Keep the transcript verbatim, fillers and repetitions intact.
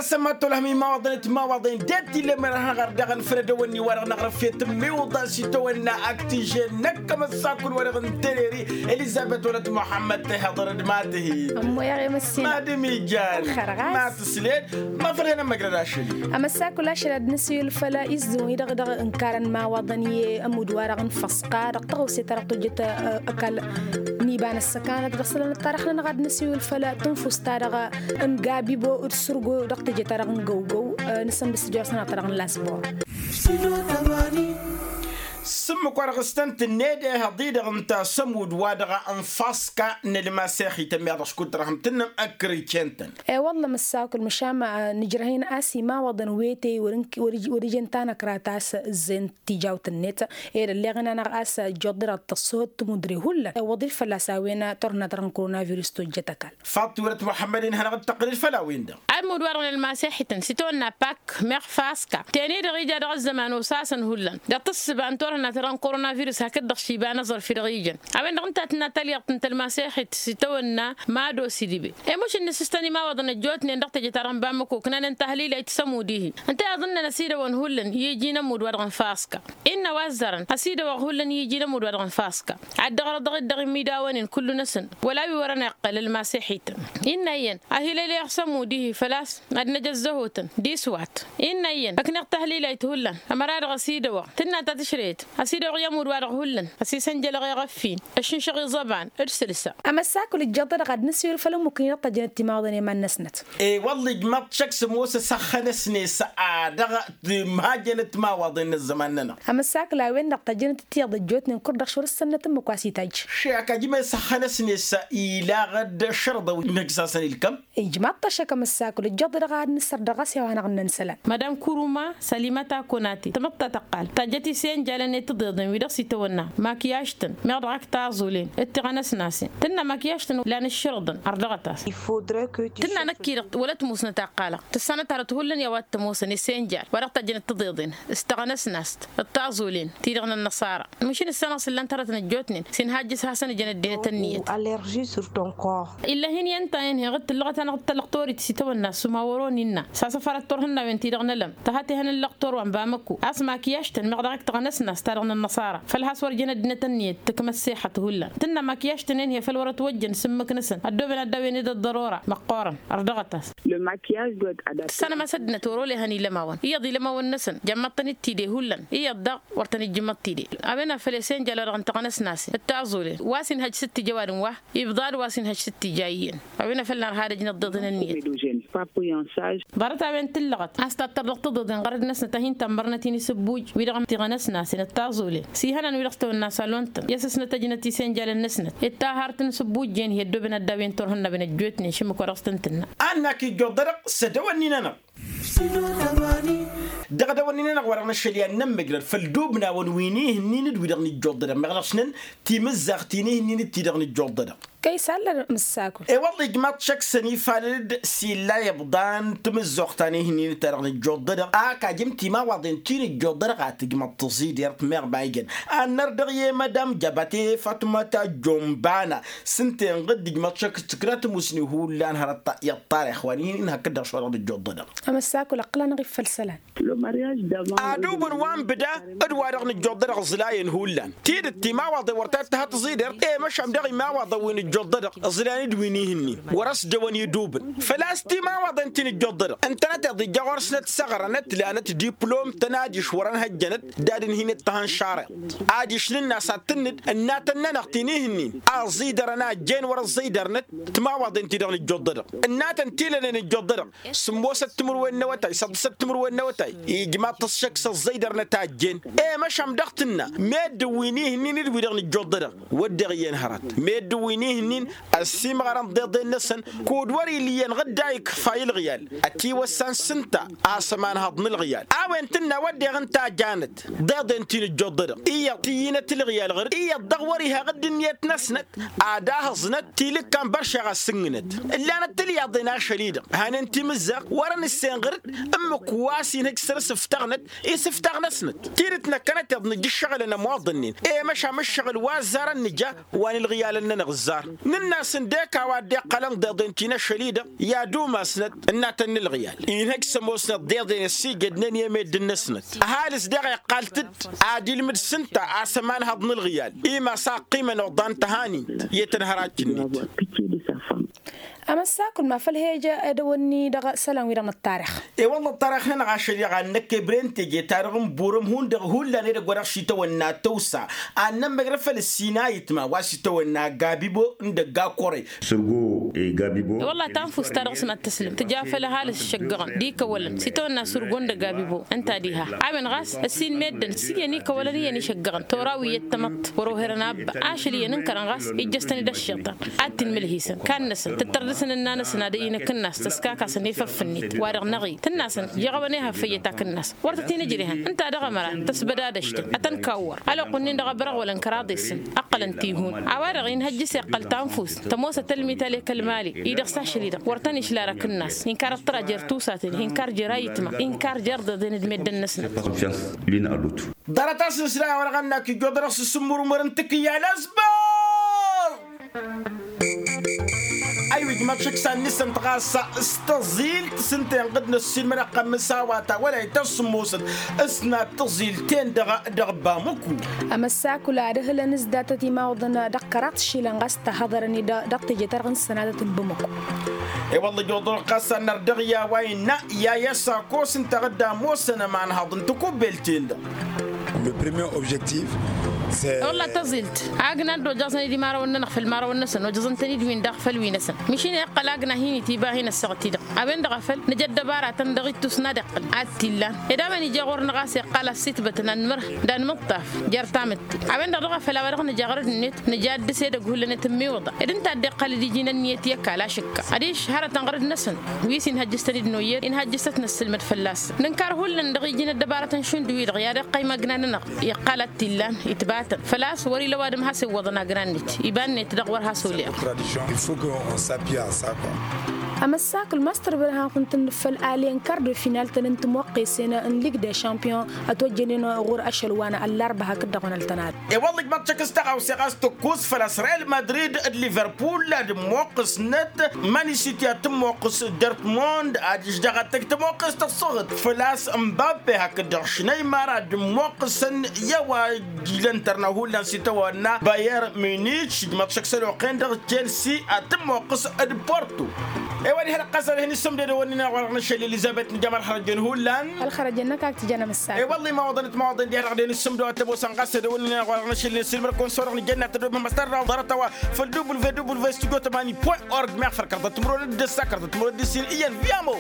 Sămmat tolăhăm imawaḍăn d-timawaḍen det-ille merhăɣăr daɣ ănfăl ad-ăwănni-wa-dăɣ n-aɣrǝf i-tǝmmiwǝḍa s-itawănna aktije n-ăkk tǝjje n-ăkk ămăssakul-wa-dăɣ n-tereri. Elizăbet wăla d-muḥămmăd tehăḍăr d-ma tǝhi. Ămmoyăɣ i-măssin. Ma d-imijan. Ma tǝsled. Ma făl hen ămmăjrăd ašăl-i. Ămăssakul ašăl ad-nǝsiwǝl făll-izzǝwăn-i-dăɣ dăɣ-ǝnkarăn imawaḍăn i-ămudd-wa-dăɣ n-făṣka dăɣ-tăɣawse-ta-dăɣ tojjăt ăkall n-iba n-ăssăkanăt dăɣ-isălan ăṭṭarăx-nănăɣ ad-nǝsiwǝl făll-tǝnfust-ta-dăɣ n-gabibo d-sǝrgo dăɣ-teje-ta-dăɣ n-găwgăw. Nǝsǝmbǝs tijorăs-nănăɣ ta-dăɣ n-lasbor. S-ǝmmǝk wa dăɣ-s tăn-tǝnned ehăḍ-i-dăɣ ǝnta s-ămudd-wa-dăɣ n-faska n-ălmasexităn mi-ad-dăɣ-s kud-tărhăm tǝnnăm ăkkăr-iccen-tăn. E-wălla măssakul măšan ma nǝjrăh-in a-s imawaḍăn wetey wăr-ǝjăn tanăkrat a-s ǝzzent tijawt-net. Ed ălleɣ-in-anăɣ a-s ăjjoḍ-i-dăɣ tăṣṣuhăt timudre hullan iwwăḍ-dd fălla-s a-wen turhǝnna-ta-dăɣ n-korona virus tojjăt ăkall. Faḍt tiwrăt muḥămmăd-in hanăɣ-dd-tăqqǝlăd făll-a-wen-dăɣ. Ămudd-wa-dăɣ n-ălmasexităn s-itawănna pak meɣ faska teni-dăɣ ija dăɣ-ăzzăman osasăn hullan dăɣ-tǝssǝba n-turhǝnna-ta-dăɣ n-korona virus hakd-dăɣ s-iba n-aẓrǝf-i-dăɣ ijăn. A-wen-dăɣ ǝnta a tǝnna talyaḍt n-tălmasexit s-itawănna mad-osidǝbe. I-mušǝnnǝs s-tăn-imawaḍăn ăjjootnen dăɣ-teje-ta-dăɣ n-bamăko ǝknanen tahlila i-tǝsămud-ihi. Ǝnta iyyăḍ ǝnnăn ăsidăwăn hullan i-iji n-ămudd-wa-dăɣ n-faska. Innă wa ăzzarăn ăsidăwăɣ hullan i-iji n-ămudd-wa-dăɣ n-faska. Ad-dăɣ-răḍăɣ-dd dăɣ-imidawen-in kullu-năsăn wăla wi wărăn iqqăl ălmasexităn. Innă iyyăn ahilăyleɣ s-ămudd-ihi făl-a-s ad-năj ăzzăhotăn d-iswat. Innă iyyăn ăkneɣ tahlilayt hullan ămăra-dăɣ ăsidăwăɣ tǝnna ta tǝšrăyăt. Ăsidăwăɣ i-ămudd-wa-dăɣ hullan ăsisănjălăɣ i-iɣăffin ǝššǝnšăɣ iẓăban d-sǝlsa. Ămăssakul ǝjjăḍ-dăɣ ad-nǝsiwǝl făll-ǝmmukǝn-i-dăɣ tăjjănăt timawaḍăn i-iman-năsnăt. E-wălla ijmaḍ šăkk s-ămoos ăsăxxănăsnet s-a dăɣ-timhajjănăt timawaḍen n-ăzzăman-nănăɣ. Ămăssakul a-wen-dăɣ tăjjănăt ǝttiyăḍ ăjjootnen kăr-dăɣ šor s-sănnăt ǝmmǝk wa s-itajj. Še ăkajjim i-săxxănăsnet s-ilăɣ-dd šărḍăw n-hǝjsasăn ilkăm. Ijmaḍ-t ašăk ămăssakul ǝjjăḍ-i-dăɣ ad-nǝssăr dăɣ-s i-a-wa hanăɣ-ǝnnăn isălan. Madam kuruma salimata konate tamăḍt ta tăqqal tajjăt isenjalăn i-tiḍeḍen wi-dăɣ s-itawănna makyaj-tăn meɣ dăɣ-ak taẓulen d-tiɣănăsnasen tǝnna makyaj-tăn lan ǝššărǝḍăn ărdăɣăt-as. Tǝnna năkk-i-dăɣ wăla ătmusnăt a ǝqqalăɣ tǝssanăt hărăt hullan i-a-wa t-ămoosăn isenjal wa dăɣ-tajjăn d-tiḍeḍen s-tiɣănăsnast d-taẓulen ti-dăɣ n-ănnăṣara. Măšin ǝssanăɣ s-ǝllan-t hărătăn ăjjootnen s-inhajjǝs hasăn-ǝjăn ăddinăt ǝnniyăt. Allergie sur ton corps. Ill'-ahin i-ǝnta-en heɣ-dd tǝllăɣăt-anăɣ d-talăɣtorit s-itawănna s-umawăro n-innă s-asăfărăt turhǝnnawen-ti-dăɣ n-elăm tăha tehăn n-lăɣtor wa n-bamăkko a-s makyaj-tăn meɣ dăɣ-ak tăɣnăsnast ta dăɣ-nănnăṣara. Făl has-wăr jăn ăddinăt ǝnniyăt tǝkmăssexăt hullan tǝnna makyaj-tăn-en hi-făl wărăt wăjjăn s-ǝmmǝk-năsăn ăddooben ad-daw-en ed ăḍḍărora măqqoorăn. Ărdăɣăt-as. Tǝssanăm a-s ăddinăt wăr-olehăn ilămawăn iyyăḍ ilămawăn-năsăn jămmăḍ-tăn-dd tidey hullan iyyăḍ daɣ wăr tăn-ijjǝmmăḍ tidey. A-wen a făl i-senjal-wa-dăɣ n-taɣnăsnasen d-taẓulen wa s-inhăj s-dd-tija ăwadǝm wa ibḍad wa s-inhăj s-dd-tija iyyăn. A-wen a făl nărha ad-ăjnăt tiḍeḍen ǝnniyăt. Ḍarăt a-wen tǝllăɣăt a-s tattăr dăɣ-tiḍeḍen ɣărăd-năsnăt a hin-tămmărnăt-in isǝbbuj wi-dăɣ n-tiɣănăsnasen d-taẓulen s-ihănan wi-dăɣ s-tawănna salon-tăn i-asăsnăt ăjnăt isenjalăn-năsnăt. D-taharăt n-isǝbbuj-en hi-ăddooben ad-daw-en turhǝnnawen ăjjootnen šǝmmǝk wa dăɣ-s tăn-tǝnna. Ad-nakijjuḍ-dăɣ s-ădăwănni-nănăɣ. Dăɣ-ădăwănni-nănăɣ wa dăɣ-năšăl i-ad-nămmăjrăd făll-dubnawăn wi n-ihǝnnin d-wi-dăɣ nǝjjuḍ-dădăɣ meɣ dăɣ-snăn timǝzzaɣt-in ihǝnnin d-ti-dăɣ nǝjjuḍ-dădăɣ. Kăy-isallăn mǝssakul. E-wălla ijmaḍ šăkk s-ănifalăd-dd s-illa iḍan timǝzzuɣt ta n-ihǝnnin ta dăɣ-nǝjjuḍ-dădăɣ a ăkajǝm timawaḍen ti nǝjjuḍ-dădăɣ a tǝjmăḍ tǝẓidert meɣ ma ijăn. Ad-năr dăɣ-i madam jabate fatmăta jombana s-ǝnta-en ɣǝdd ijmaḍ šăkk s-tǝkra tǝmusni hullan hărăt iyyăḍ tarix wa n-ihǝnnin hakd-dăɣ šorăɣ nǝjjuḍ-dădăɣ. Ămăssakul ăqqǝl-anăɣ-iffăl isălan. Ad-ubǝn wa n-bǝda d-wa-dăɣ nǝjjuḍ-dădăɣ ǝẓlayăn hullan tidǝt timawaḍen wăr ta tǝha tǝẓidert i-măšan dăɣ-imawaḍăn wi nǝjjuḍ-dădăɣ ǝẓlayăn d-wi n-ihǝnnin. Wăr-ăsdăwăn idubǝn făl-a-s timawaḍen ti nǝjjuḍ-dădăɣ ǝntănăt iḍ ija ɣur-snăt săɣrănăt lanăt diplom-tăn adiš wăr-ănhăjjănăt. D-ad-ǝnhin-dd tăhănšareḍt adiš nǝnn'-as ad-tǝnnǝd ǝnnatăn-nănăɣ ti n-ihǝnnin a ẓidărăn a ăjjeen wăr-ăẓẓidărnăt timawaḍen ti-dăɣ nǝjjuḍ-dădăɣ ǝnnatăn ti lănen ǝjjuḍ-dădăɣ. Sǝmmosăt timǝrwen n-awătay săḍḍǝsăt timǝrwen n-awătay ijmaḍ-t s-šăkk s-ăẓẓăydărnăt a ăjjeen. I-măšan dăɣ-tǝnna meddǝn wi n-ihǝnnin d-wi-dăɣ nǝjjuḍ-dădăɣ wădden iyyăn hărăt meddǝn wi n-ihǝnnin ăssiimɣărăn d-iḍen-năsăn. Kud wăr-illa iyyăn ɣǝdda ikfay ǝlɣiyal ătiwăssan s-ǝnta a-s ămanhăḍ n-ǝlɣiyal. A-wen tǝnna wădden ǝnta a janăt d-iḍen ti nǝjjuḍ-dădăɣ iyyăḍ tǝyyǝnăt ǝlɣiyal ɣăr-dd iyyăḍ dăɣ-wăr-ihăɣ dd-ǝnniyăt-năsnăt. Ad-ahăẓnăt tilǝkkan băršeɣ a ǝssǝnnǝnăt ǝllanăt tilyaḍen ašăl-i-dăɣ hanen timǝzzaɣt wăr-ănǝssen ɣǝr-dd. Ǝmmǝk wa s-inhǝj săr-s ǝftaɣnăt i-sǝftaɣ-năsnăt tidǝt năkkănăt iḍ nǝjj ǝššăɣǝlăn ămoḍănnen. I-măšan ǝššăɣǝl wa ăzzarăn nǝja wa n-ǝlɣiyalăn-nănăɣ ǝzzar. Nǝnn'-asăn dek a-wa dd-iqqălăn d-iḍen ti n-ašăl-i-dăɣ i-ad-umasnăt ǝnnatăn n-ǝlɣǝyal inhăj s-ămoosnăt d-iḍen ăssiijădnen i-meddǝn-năsnăt. Ăhalǝs daɣ iqqal-t-dd ad-ilmǝd s-ǝnta a-s ămanhăḍ n-ǝlɣǝyal i-ma s-a ăqqimăn oḍan tăhanint i-tănhărac-net. Amăssakul ma făl he-ija edăwănni dăɣ-isălan-wi-dăɣ n-ăṭṭarix. E-wălla ăṭṭarix-nănăɣ ašăl-i-dăɣ ad-năkk ebrentej i-tarăɣ n-burăm hundăɣ hullan edăgg wa dăɣ-s itawănna tăwsa ad-nămmăjrăd făll-ǝssin a itma wa s-itawănna gabibo n-dăgg-akore. Sǝrgo e gabibo. E-wălla tanfust-ta-dăɣ s-mad-tǝslǝm tǝja făll-ăhalǝs šăggăɣăn d-ikăwălăn s-itawănna sǝrgo n-dăgg-gabibo. Ǝnta diha a-wen ɣas ăssin meddǝn s-iyyăn ikăwălăn iyyăn išăggăɣăn tora wi iyyăt tamăḍt wăr-oherăn abba. Ašăl iyyăn ǝnkărăn ɣas ijjăs-tăn-dd ăššiṭan ad-t-inmǝlhǝysăn. Kannăsăn tǝttărdăsăn ǝnna-năsăn ad-ăynăk ǝnnas tăskakasăn efăf-net wa-dăɣ năɣ-i tǝnnasăn jeɣ a-wen ehăf făyyăt akǝnnas. Wăr tăt-inǝjrehăn ǝnta dăɣ-ămăra tăsbădadăšten ad-tăn-kawwăr. Ălwăqq-wǝnnin-dăɣ a bărăɣwălăn kăraḍ-esăn ǝqqălăn tihun. A-wa-dăɣ inhăjjǝs iqqăl tanfust tămoosăt ălmital i-kăl-mali-i-dăɣ s-ašăl-i-dăɣ wăr tăn-išla ar akǝnnas inkar ăṭṭăra jer-tusaten inkar jer-ayǝtma inkar jer-deḍen d-meddǝn-năsnăt. Ḍarăt-as n-isla i-a-wa-dăɣ ănnak ijjoḍ-dăɣ s-sǝmmurmăr n-tikǝyya n-asbăr. Aywa ijmaḍ šăksan-nǝsăn-t ɣas s-tăẓilt s-ǝnta inɣǝd n-ăssiilmăd ăqqămmǝs a-wa ta wăla ităssǝmmosăt s-nat tăẓilt-ten-dăɣ dăɣ-bamuku. Amăssakul ad-ǝhǝlăn s-datăt imawǝḍăn dăɣ-kăraḍ išilan ɣas tăhhăḍărăn-i dăɣ-teje-ta-dăɣ n-sănatăt n-bamuku. E-wălla ijjuḍ-dăɣ ɣas a n-nărdăɣ i-a-wa innă i-a i-asakos ǝnta ad-ămoosăn ămanhăḍ n-tikubbelt-en-dăɣ. Le premier objectif. Wălla tăẓilt agna dd-ojăẓăn-dd imarăwăn-nănăɣ făll-imarăwăn-năsăn ojăẓăn-tăn-dd-win-dăɣ făll-wi-năsăn. Măšin iqqăl agna hin-itiba hin-ăssaɣăt-i-dăɣ a-wen-dăɣ a făl nǝja ăddăbaratăn dăɣ-ittus n-ad-iqqǝl ad-t-illan. Ed a-wen ija ɣur-năɣ a-s iqqal a-s itbătăn ad-nǝmărhăn d-ad-nǝmǝṭṭaf jer-tamǝtte. A-wen-dăɣ dăɣ-a făl a-wa dăɣ-nǝja ɣărăd-net nǝja dd-sedăgg hullan i-tǝmmiwǝḍa ed ǝnta a dd-iqqăl d-iji n-ǝnniyăt i-ăkall ašǝkka adiš hărătăn ɣărăd-năsăn. Wi s-inhăjjǝs-tăn-dd noyyăr inhăjjǝs-tăt năssǝlmăd fălla-săn nǝnkar hullan dăɣ-iji n-ăddăbarătăn šund wi-dăɣ i-ad-iqqăy magna-nănăɣ iqqal ad-t-illan itbatăn făl-a-s wăr-ila ăwadǝm has-iwwăḍăn agna-net iba-net dăɣ-wăr has-oleɣ. Amăssakǝl ma s-tărbărhăn-kǝwăn-tăn făll-alăyăn kar de final-tăn n-timoqqesen n-lig de champion ătwăjjănen ɣur-ašăl wa n-ăllarbă hakd-dăɣ wa n-ăltănad. E-wălla ijmaḍ-t šăkk s-taɣawse ɣas tǝkkust făl-a-s real madrid d-liverpul ad-ămmoqqǝsnăt manisiti ad-tǝmmoqqǝs dortmund adiš daɣ ad-tăj tămoqqǝs tăṣṣăɣt făl-a-s n-bappe hakd-dăɣ šneymar ad-ămmoqqǝsăn i-a-wa ilăn tărna hullan s-itawănna bayer munich ijmaḍ-t šăkk s-ăloqen-dăɣ chelsea ad-tǝmmoqqǝs d-porto. E-wa diha-dăɣ ɣas ad-hin-issǝmdăd ăwănnin-dăɣ wa-dăɣ n-ašăl elizabet nǝjam ălxărăjăn hullan. Ălxărăjăn-năk ad-t-ijăn amǝssak. E-wălla imawaḍăn d-timawaḍen diha-dăɣ ad-hin-issǝmdăd wa t-ămoosăn ɣas ad-ăwănnin-dăɣ wa-dăɣ n-ašăl n-ăssiilmăr-kăwăn s-wa-dăɣ nǝjănna tădobem ămăstar dăɣ-ḍarăt-a-wa făll-www studio tămani point org meɣ făll-kăraḍăt timǝrwen d-ǝssa kăraḍăt timǝrwen d-ǝssin iyyăn viamo.